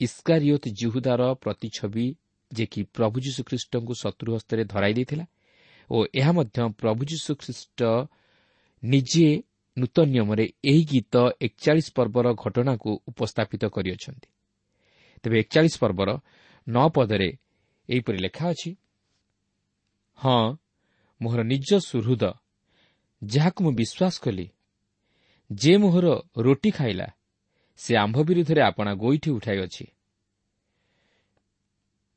ଇସ୍କାରିୟୋତ ଜିହୁଦାର ପ୍ରତିଛବି, ଯେ କି ପ୍ରଭୁ ଯୀଶୁଖ୍ରୀଷ୍ଟଙ୍କୁ ଶତ୍ରୁ ହସ୍ତରେ ଧରାଇ ଦେଇଥିଲା ଓ ଏହା ମଧ୍ୟ ପ୍ରଭୁ ଯୀଶୁଖ୍ରୀଷ୍ଟ ନିଜେ ନୂତନ ନିୟମରେ ଏହି ଗୀତ ଏକଚାଳିଶ ପର୍ବର ଘଟଣାକୁ ଉପସ୍ଥାପିତ କରିଅଛନ୍ତି। ତେବେ ଏକଚାଳିଶ ପର୍ବର ନଅ ପଦରେ ଏହିପରି ଲେଖା ଅଛି, ହଁ, ମୋହର ନିଜ ସୁହୃଦ, ଯାହାକୁ ମୁଁ ବିଶ୍ୱାସ କଲି, ଯେ ମୋହର ରୋଟି ଖାଇଲା, ସେ ଆମ୍ଭ ବିରୁଦ୍ଧରେ ଆପଣା ଗୋଇଠି ଉଠାଇଅଛି।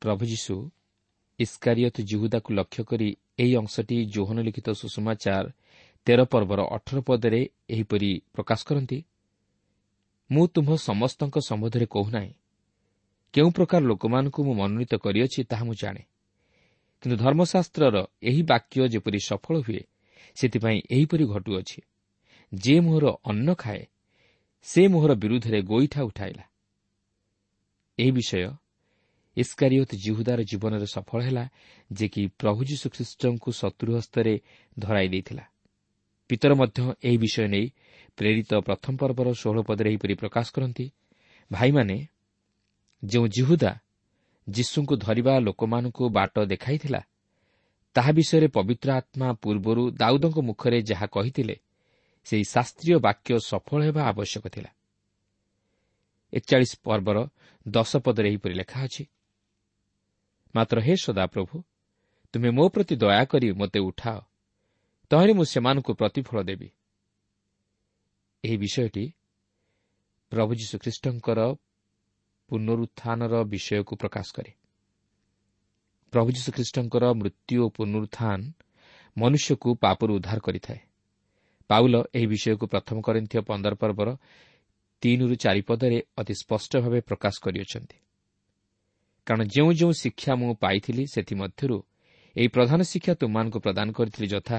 ପ୍ରଭୁ ଯୀଶୁ ଇସ୍କାରିୟତ ଜିହୁଦାକୁ ଲକ୍ଷ୍ୟ କରି ଏହି ଅଂଶଟି ଯୋହନ ଲିଖିତ ସୁସମାଚାର ତେର ପର୍ବର ଅଠର ପଦରେ ଏହିପରି ପ୍ରକାଶ କରନ୍ତି, ମୁଁ ତୁମ୍ଭ ସମସ୍ତଙ୍କ ସମ୍ବନ୍ଧରେ କହୁନାହିଁ, କେଉଁ ପ୍ରକାର ଲୋକମାନଙ୍କୁ ମୁଁ ମନୋନୀତ କରିଅଛି ତାହା ମୁଁ ଜାଣେ, କିନ୍ତୁ ଧର୍ମଶାସ୍ତ୍ରର ଏହି ବାକ୍ୟ ଯେପରି ସଫଳ ହୁଏ ସେଥିପାଇଁ ଏହିପରି ଘଟୁଅଛି, ଯେ ମୋହର ଅନ୍ନ ଖାଏ ସେ ମୋହର ବିରୁଦ୍ଧରେ ଗୋଇଠା ଉଠାଇଲା। ଏହି ବିଷୟ ଇସ୍କାରିୟୋତ ଜିହୁଦାର ଜୀବନରେ ସଫଳ ହେଲା, ଯେ କି ପ୍ରଭୁ ଯୀଶୁଖ୍ରୀଷ୍ଟଙ୍କୁ ଶତ୍ରୁ ହସ୍ତରେ ଧରାଇ ଦେଇଥିଲା। ପିତର ମଧ୍ୟ ଏହି ବିଷୟ ନେଇ ପ୍ରେରିତ ପ୍ରଥମ ପର୍ବର ଷୋହଳ ପଦରେ ଏହିପରି ପ୍ରକାଶ କରନ୍ତି, ଭାଇମାନେ, ଯେଉଁ ଜିହୁଦା ଯୀଶୁଙ୍କୁ ଧରିବା ଲୋକମାନଙ୍କୁ ବାଟ ଦେଖାଇଥିଲା, ତାହା ବିଷୟରେ ପବିତ୍ର ଆତ୍ମା ପୂର୍ବରୁ ଦାଉଦଙ୍କ ମୁଖରେ ଯାହା କହିଥିଲେ, ସେହି ଶାସ୍ତ୍ରୀୟ ବାକ୍ୟ ସଫଳ ହେବା ଆବଶ୍ୟକ ଥିଲା। ଏକଚାଳିଶ ପର୍ବର ଦଶ ପଦରେ ଏହିପରି ଲେଖା ଅଛି, ମାତ୍ର ହେ ସଦାପ୍ରଭୁ, ତୁମେ ମୋ ପ୍ରତି ଦୟାକରି ମୋତେ ଉଠାଅ, ତହିଁରେ ମୁଁ ସେମାନଙ୍କୁ ପ୍ରତିଫଳ ଦେବି। ଏହି ବିଷୟଟି ପ୍ରଭୁ ଯୀଶୁଖ୍ରୀଷ୍ଟଙ୍କର ପୁନରୁତ୍ଥାନର ବିଷୟକୁ ପ୍ରକାଶ କରେ। ପ୍ରଭୁ ଯୀଶୁଖ୍ରୀଷ୍ଟଙ୍କର ମୃତ୍ୟୁ ଓ ପୁନରୁତ୍ଥାନ ମନୁଷ୍ୟକୁ ପାପରୁ ଉଦ୍ଧାର କରିଥାଏ। ପାଉଲ ଏହି ବିଷୟକୁ ପ୍ରଥମ କରିନ୍ଥୀୟ ପନ୍ଦର ପର୍ବର ତିନିରୁ ଚାରି ପଦରେ ଅତି ସ୍ପଷ୍ଟ ଭାବେ ପ୍ରକାଶ କରିଅଛନ୍ତି। କାରଣ ଯେଉଁ ଯେଉଁ ଶିକ୍ଷା ମୁଁ ପାଇଥିଲି ସେଥିମଧ୍ୟରୁ ଏହି ପ୍ରଧାନ ଶିକ୍ଷା ତୁମମାନଙ୍କୁ ପ୍ରଦାନ କରିଥିଲି, ଯଥା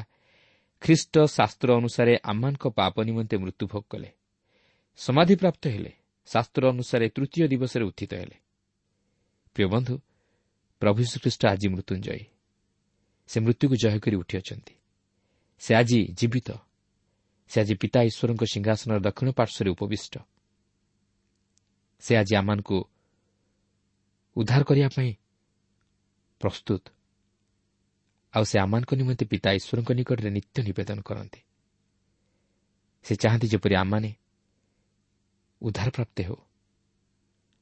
ଖ୍ରୀଷ୍ଟ ଶାସ୍ତ୍ର ଅନୁସାରେ ଆମମାନଙ୍କ ପାପ ନିମନ୍ତେ ମୃତ୍ୟୁଭୋଗ କଲେ, ସମାଧିପ୍ରାପ୍ତ ହେଲେ, ଶାସ୍ତ୍ର ଅନୁସାରେ ତୃତୀୟ ଦିବସରେ ଉତ୍ଥିତ ହେଲେ। ପ୍ରିୟ ବନ୍ଧୁ, ପ୍ରଭୁ ଯୀଶୁଖ୍ରୀଷ୍ଟ ଆଜି ମୃତ୍ୟୁଞ୍ଜୟୀ। ସେ ମୃତ୍ୟୁକୁ ଜୟ କରି ଉଠିଅଛନ୍ତି। ସେ ଆଜି ଜୀବିତ। ସେ ଆଜି ପିତା ଈଶ୍ୱରଙ୍କ ସିଂହାସନର ଦକ୍ଷିଣ ପାର୍ଶ୍ୱରେ ଉପବିଷ୍ଟ। ସେ ଆଜି ଆମମାନଙ୍କୁ ଉଦ୍ଧାର କରିବା ପାଇଁ ପ୍ରସ୍ତୁତ। ଆଉ ସେ ଆମମାନଙ୍କ ନିମନ୍ତେ ପିତା ଈଶ୍ୱରଙ୍କ ନିକଟରେ ନିତ୍ୟ ନିବେଦନ କରନ୍ତି। ସେ ଚାହାନ୍ତି ଯେପରି ଆମମାନେ ଉଦ୍ଧାରପ୍ରାପ୍ତ ହେଉ,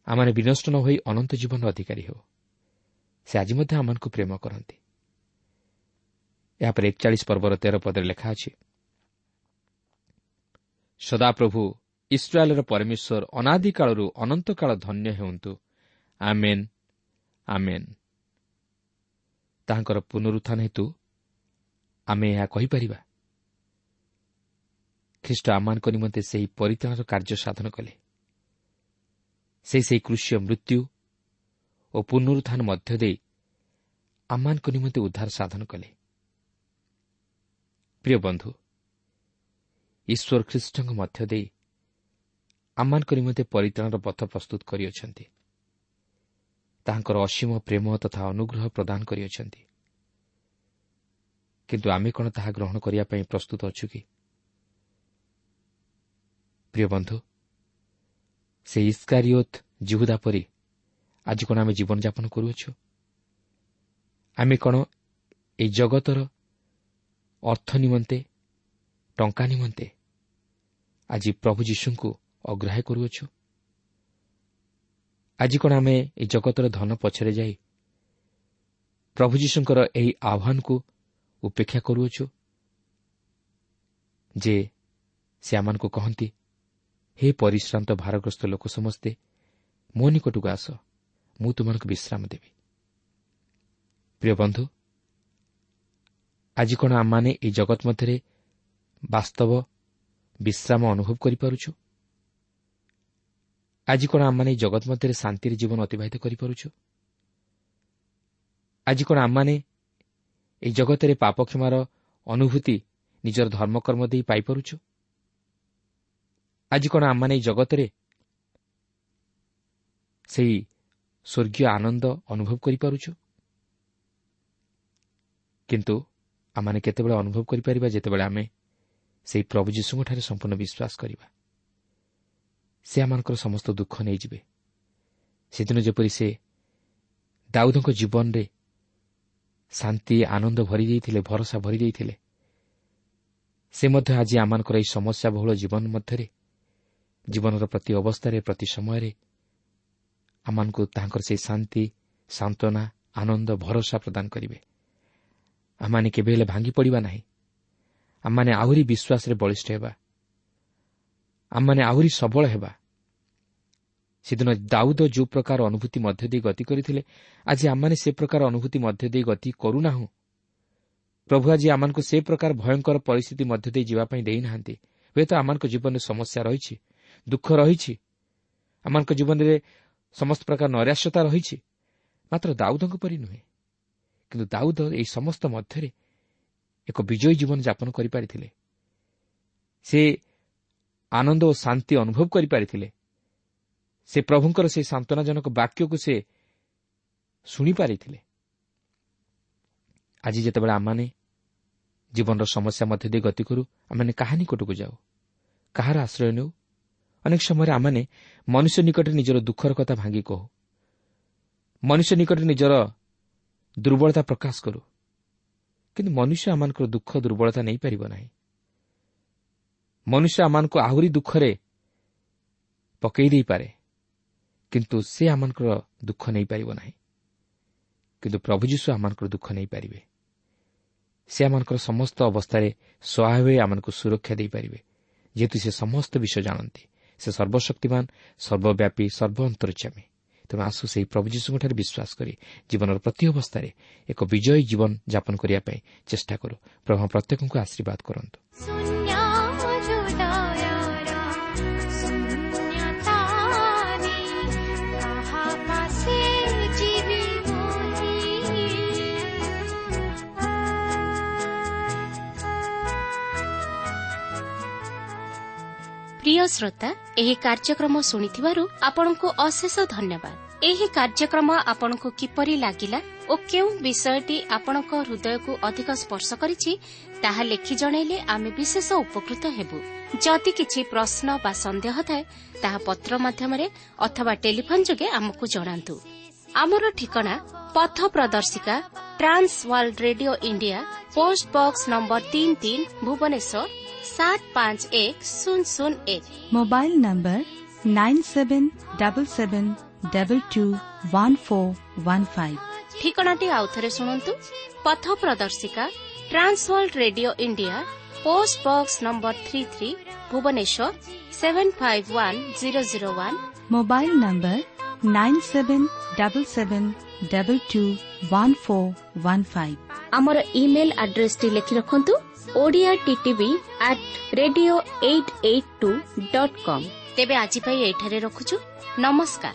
ଆମମାନେ ବିନଷ୍ଟ ନ ହୋଇ ଅନନ୍ତ ଜୀବନର ଅଧିକାରୀ ହେଉ। ସେ ଆଜି ମଧ୍ୟ ଆମମାନଙ୍କୁ ପ୍ରେମ କରନ୍ତି। ଏହାପରେ ଏକଚାଳିଶ ପର୍ବର ତେର ପଦରେ ଲେଖା ଅଛି, ସଦାପ୍ରଭୁ ଇସ୍ରାଏଲର ପରମେଶ୍ୱର ଅନାଦିକାଳରୁ ଅନନ୍ତକାଳ ଧନ୍ୟ ହେଉନ୍ତୁ। ଆମେନ୍, ଆମେନ୍। ତାହାଙ୍କର ପୁନରୁତ୍ଥାନ ହେତୁ ଆମେ ଏହା କହିପାରିବା। ଖ୍ରୀଷ୍ଟ ଆମମାନଙ୍କ ନିମନ୍ତେ ସେହି ପରିତ୍ରାଣର କାର୍ଯ୍ୟ ସାଧନ କଲେ। ସେ ସେହି କୃଷୀୟ ମୃତ୍ୟୁ ଓ ପୁନରୁତ୍ଥାନ ମଧ୍ୟ ଦେଇ ଆମମାନଙ୍କ ନିମନ୍ତେ ଉଦ୍ଧାର ସାଧନ କଲେ। ପ୍ରିୟ ବନ୍ଧୁ, ଈଶ୍ୱର ଖ୍ରୀଷ୍ଟଙ୍କ ମଧ୍ୟ ଦେଇ ଆମମାନଙ୍କ ନିମନ୍ତେ ପରିତ୍ରାଣର ପଥ ପ୍ରସ୍ତୁତ କରିଅଛନ୍ତି। ତାହାଙ୍କର ଅସୀମ ପ୍ରେମ ତଥା ଅନୁଗ୍ରହ ପ୍ରଦାନ କରିଅଛନ୍ତି। କିନ୍ତୁ ଆମେ କ'ଣ ତାହା ଗ୍ରହଣ କରିବା ପାଇଁ ପ୍ରସ୍ତୁତ ଅଛୁ କି? ପ୍ରିୟ ବନ୍ଧୁ, ସେ ଇସ୍କାରିୟୋତ ଜିହୁଦା ପରି ଆଜି କ'ଣ ଆମେ ଜୀବନଯାପନ କରୁଅଛୁ? ଆମେ କ'ଣ ଏହି ଜଗତର ଅର୍ଥ ନିମନ୍ତେ, ଟଙ୍କା ନିମନ୍ତେ ଆଜି ପ୍ରଭୁ ଯୀଶୁଙ୍କୁ ଅଗ୍ରାହ୍ୟ କରୁଅଛୁ? ଆଜି କ'ଣ ଆମେ ଏହି ଜଗତର ଧନ ପଛରେ ଯାଇ ପ୍ରଭୁ ଯୀଶୁଙ୍କର ଏହି ଆହ୍ୱାନକୁ ଉପେକ୍ଷା କରୁଅଛୁ ଯେ ସେ ଆମମାନଙ୍କୁ କହନ୍ତି, ହେ ପରିଶ୍ରାନ୍ତ ଭାରଗ୍ରସ୍ତ ଲୋକ ସମସ୍ତେ, ମୋ ନିକଟକୁ ଆସ, ମୁଁ ତୁମମାନଙ୍କୁ ବିଶ୍ରାମ ଦେବି। ପ୍ରିୟ ବନ୍ଧୁ, ଆଜି କ'ଣ ଆମମାନେ ଏହି ଜଗତ ମଧ୍ୟରେ ବାସ୍ତବ ବିଶ୍ରାମ ଅନୁଭବ କରିପାରୁଛୁ? ଆଜି କ'ଣ ଆମମାନେ ଏହି ଜଗତ ମଧ୍ୟରେ ଶାନ୍ତିରେ ଜୀବନ ଅତିବାହିତ କରିପାରୁଛୁ? ଆଜି କ'ଣ ଆମମାନେ ଏହି ଜଗତରେ ପାପ କ୍ଷମାର ଅନୁଭୂତି ନିଜର ଧର୍ମକର୍ମ ଦେଇ ପାଇପାରୁଛୁ? ଆଜି କ'ଣ ଆମମାନେ ଏହି ଜଗତରେ ସେହି ସ୍ୱର୍ଗୀୟ ଆନନ୍ଦ ଅନୁଭବ କରିପାରୁଛୁ? କିନ୍ତୁ ଆମମାନେ କେତେବେଳେ ଅନୁଭବ କରିପାରିବା? ଯେତେବେଳେ ଆମେ ସେହି ପ୍ରଭୁ ଯୀଶୁଙ୍କଠାରେ ସମ୍ପୂର୍ଣ୍ଣ ବିଶ୍ୱାସ କରିବା। ସେ ଆମମାନଙ୍କର ସମସ୍ତ ଦୁଃଖ ନେଇଯିବେ। ସେଦିନ ଯେପରି ସେ ଦାଉଦଙ୍କ ଜୀବନରେ ଶାନ୍ତି ଆନନ୍ଦ ଭରି ଦେଇଥିଲେ, ଭରସା ଭରି ଦେଇଥିଲେ, ସେ ମଧ୍ୟ ଆଜି ଆମମାନଙ୍କର ଏହି ସମସ୍ୟା ବହୁଳ ଜୀବନ ମଧ୍ୟରେ, ଜୀବନର ପ୍ରତି ଅବସ୍ଥାରେ, ପ୍ରତି ସମୟରେ ଆମମାନଙ୍କୁ ତାଙ୍କର ସେହି ଶାନ୍ତି, ସାନ୍ତ୍ୱନା, ଆନନ୍ଦ, ଭରସା ପ୍ରଦାନ କରିବେ। ଆମମାନେ କେବେ ହେଲେ ଭାଙ୍ଗି ପଡ଼ିବା ନାହିଁ। ଆମମାନେ ଆହୁରି ବିଶ୍ୱାସରେ ବଳିଷ୍ଠ ହେବା। ଆମମାନେ ଆହୁରି ସବଳ ହେବା। ସେଦିନ ଦାଉଦ ଯେଉଁ ପ୍ରକାର ଅନୁଭୂତି ମଧ୍ୟ ଦେଇ ଗତି କରିଥିଲେ, ଆଜି ଆମମାନେ ସେ ପ୍ରକାର ଅନୁଭୂତି ମଧ୍ୟ ଦେଇ ଗତି କରୁନାହୁଁ। ପ୍ରଭୁ ଆଜି ଆମମାନଙ୍କୁ ସେ ପ୍ରକାର ଭୟଙ୍କର ପରିସ୍ଥିତି ମଧ୍ୟ ଦେଇ ଯିବା ପାଇଁ ଦେଇନାହାନ୍ତି। ହୁଏତ ଆମମାନଙ୍କ ଜୀବନରେ ସମସ୍ୟା ରହିଛି, ଦୁଃଖ ରହିଛି, ଆମମାନଙ୍କ ଜୀବନରେ ସମସ୍ତ ପ୍ରକାର ନୈରାଶ୍ୟତା ରହିଛି, ମାତ୍ର ଦାଉଦଙ୍କ ପରି ନୁହେଁ। କିନ୍ତୁ ଦାଉଦ ଏହି ସମସ୍ତ ମଧ୍ୟରେ ଏକ ବିଜୟୀ ଜୀବନ ଯାପନ କରିପାରିଥିଲେ। ସେ ଆନନ୍ଦ ଓ ଶାନ୍ତି ଅନୁଭବ କରିପାରିଥିଲେ। ସେ ପ୍ରଭୁଙ୍କର ସେହି ସାନ୍ତ୍ୱନାଜନକ ବାକ୍ୟକୁ ସେ ଶୁଣିପାରିଥିଲେ। ଆଜି ଯେତେବେଳେ ଆମମାନେ ଜୀବନର ସମସ୍ୟା ମଧ୍ୟ ଦେଇ ଗତି କରୁ, ଆମମାନେ କାହା ନିକଟକୁ ଯାଉ, କାହାର ଆଶ୍ରୟ ନେଉ? ଅନେକ ସମୟରେ ଆମମାନେ ମନୁଷ୍ୟ ନିକଟରେ ନିଜର ଦୁଃଖର କଥା ଭାଙ୍ଗି କହୁ, ମନୁଷ୍ୟ ନିକଟରେ ନିଜର ଦୁର୍ବଳତା ପ୍ରକାଶ କରୁ। କିନ୍ତୁ ମନୁଷ୍ୟ ଆମମାନଙ୍କର ଦୁଃଖ ଦୁର୍ବଳତା ନେଇପାରିବ ନାହିଁ। ମନୁଷ୍ୟ ଆମମାନଙ୍କୁ ଆହୁରି ଦୁଃଖରେ ପକାଇ ଦେଇପାରେ, କିନ୍ତୁ ସେ ଆମମାନଙ୍କର ଦୁଃଖ ନେଇପାରିବ ନାହିଁ। କିନ୍ତୁ ପ୍ରଭୁ ଯୀଶୁ ଆମମାନଙ୍କର ଦୁଃଖ ନେଇପାରିବେ। ସେ ଆମମାନଙ୍କର ସମସ୍ତ ଅବସ୍ଥାରେ ସହାୟ ହୋଇ ଆମମାନଙ୍କୁ ସୁରକ୍ଷା ଦେଇପାରିବେ, ଯେହେତୁ ସେ ସମସ୍ତ ବିଷୟ ଜାଣନ୍ତି। ସେ ସର୍ବଶକ୍ତିମାନ, ସର୍ବବ୍ୟାପୀ, ସର୍ବ ଅନ୍ତର୍ଯାମୀ। ତେଣୁ ଆସୁ ସେହି ପ୍ରଭୁ ଯୀଶୁଙ୍କଠାରେ ବିଶ୍ୱାସ କରି ଜୀବନର ପ୍ରତି ଅବସ୍ଥାରେ ଏକ ବିଜୟୀ ଜୀବନ ଯାପନ କରିବା ପାଇଁ ଚେଷ୍ଟା କରୁ। ପ୍ରଭୁ ପ୍ରତ୍ୟେକଙ୍କୁ ଆଶୀର୍ବାଦ କରନ୍ତୁ। ପ୍ରିୟ ଶ୍ରୋତା, ଏହି କାର୍ଯ୍ୟକ୍ରମ ଶୁଣିଥିବାରୁ ଆପଣଙ୍କୁ ଅଶେଷ ଧନ୍ୟବାଦ। ଏହି କାର୍ଯ୍ୟକ୍ରମ ଆପଣଙ୍କୁ କିପରି ଲାଗିଲା ଓ କେଉଁ ବିଷୟଟି ଆପଣଙ୍କ ହୃଦୟକୁ ଅଧିକ ସ୍ପର୍ଶ କରିଛି ତାହା ଲେଖି ଜଣାଇଲେ ଆମେ ବିଶେଷ ଉପକୃତ ହେବୁ। ଯଦି କିଛି ପ୍ରଶ୍ନ ବା ସନ୍ଦେହ ଥାଏ ତାହା ପତ୍ର ମାଧ୍ୟମରେ ଅଥବା ଟେଲିଫୋନ୍ ଯୋଗେ ଆମକୁ ଜଣାନ୍ତୁ। ଆମର ଠିକଣା ପଥ ପ୍ରଦର୍ଶିକା, Trans World Radio India, post box number ତିନି ତିନି, ଭୁବନେଶ୍ୱର ସାତ ପାଞ୍ଚ ଏକ ଶୂନ ଶୂନ ଏକ। Mobile number nine seven double seven double two one four one five. ଠିକଣାଟି ଆଉଥରେ ଶୁଣନ୍ତୁ। ପଥ ପ୍ରଦର୍ଶିକା, Trans World Radio India, post box number three three, Bhubaneswar seven five one zero zero one. Mobile number nine seven double seven double two one four one five. ଆମର email ଆଡ୍ରେସଟି ଲେଖି ରଖନ୍ତୁ, Odia TTV at radio eight eight two dot com. ତେବେ ଆଜି ପାଇଁ ଏଠାରେ ରଖୁଛୁ। ନମସ୍କାର।